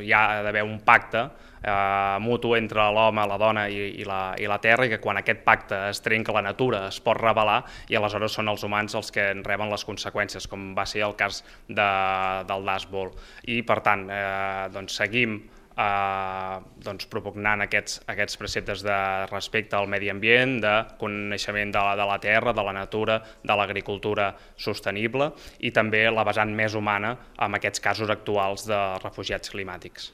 hi ha d'haver un pacte mutu entre l'home, la dona i la terra, i que quan aquest pacte es trenca, la natura es pot rebel·lar i aleshores són els humans els que en reben les conseqüències, com va ser el cas del Dust Bowl. I per tant seguim propugnant aquests preceptes de respecte al medi ambient, de coneixement de la terra, de la natura, de l'agricultura sostenible i també la vessant més humana en aquests casos actuals de refugiats climàtics.